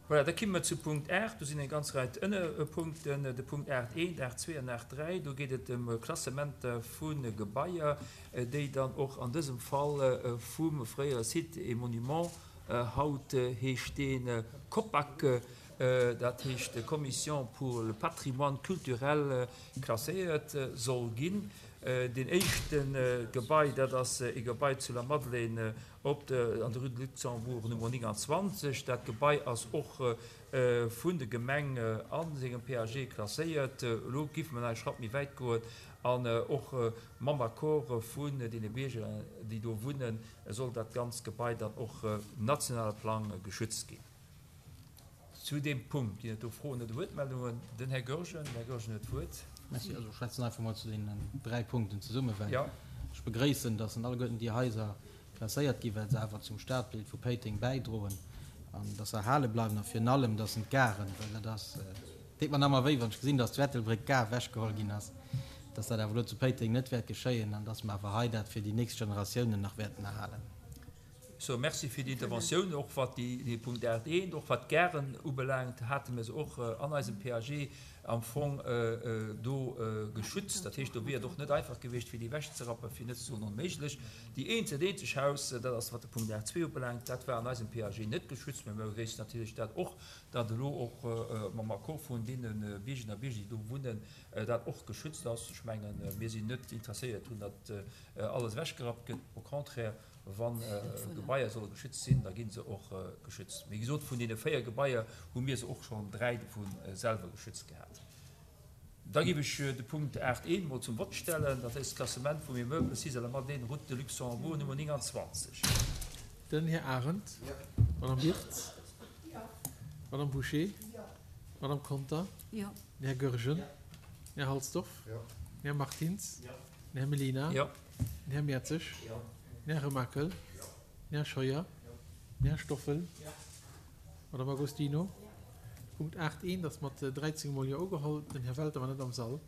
Voilà, da kimme mer zu Punkt 8. Do sinn eng ganz Rei Ënnerpunkten. De Punkt 8 1, 8 2 an 8 3, do geet et ëm Klassementer vu Gebaier, déi dann och an dësem Fall vum fréiere Sites et Monuments, haut heescht dee COPAC, dat heescht Commission pour le patrimoine culturel, klasséiert soll ginn. Deen éischte Gebai, dat ass e Gebai zu Lamadelaine op der, an der Rue de Luxembourg Nummer 29. Dat Gebai ass och vun der Gemeng a sengem PAG klasséiert. Elo géife mer nach e Schratt méi wäit goen an och mam Accord vun deene Bierger, déi do wunnen, soll dat ganzt Gebai dann och nationale Plang geschützt ginn. Zu deem Punkt ginn et do Froen oder Wuertmeldungen. Den Här Goergen. Den Här Goergen huet d'Wuert. Merci. Also ech schwätzen einfach mol zu deenen dräi Punkten zesummen, well ech begréissen, dass alleguerten déi Haiser klasséiert ginn, well se awer zum Stadbild vu Péiteng bäidroen an dass se erhale bleiwen a virun allem, dass en d'Garen, well dat ass, deet mer nach ëmmer wéi, wann ech gesinn, dass zu Ettelbréck d'Gare ewechgeholl ginn ass, dass dat awer elo zu Péiteng net wäert geschéien an dass mer awer hei dat fir déi nächst Generatiounen nach wäerten erhalen. Sou, merci fir déi Interventioun. Och wat dee Punkt 8 eent, och wat d'Garen ubelaangt, hate mir se och an eisem PAG am Fong do geschützt. Dat heescht, do wier et och net einfach gewiescht, fir déi ewechzerappen, fir net ze soen onméiglech. Déi eent, dat eenzeg Haus, dat ass wat de Punkt 8 zwee ubelaangt, dat war an eisem PAG net geschützt. Mä mir begréissen natierlech dat och, datt elo och mam Accord vun deene Biergerinnen a Bierger, déi do wunnen, dat och geschützt ass. Ech mengen, mir sinn net interesséiert drun, datt alles ewechgerappt gëtt, au contraire. Wa Gebaier solle geschützt sinn, da gi se och geschützt. Wéi gesot, vun deene 4 Gebaier hu mir se och schonn 3 dovu selwer geschützt gehat. Da géif ech de Punkt 8 I mol zum Vott stellen, dat ass d'Klassement vum Immeuble sis à la Madeleine, route de Luxembourg, Nummer 29. Den Här Arendt. D'Madame Wirtz. D'Madame Bouché. D'Madame Conter. Den Här Goergen. Den Här Halsdorf. Den Här Martins. Den Här Mellina. Den Här Mertzig. Den Här Remakel. Den Här Scheuer. Den Här Stoffel. D'Madame Agostino. Punkt 8 eent ass mat 13 mol Jo ugeholl. Den Här Welter war net am Sall.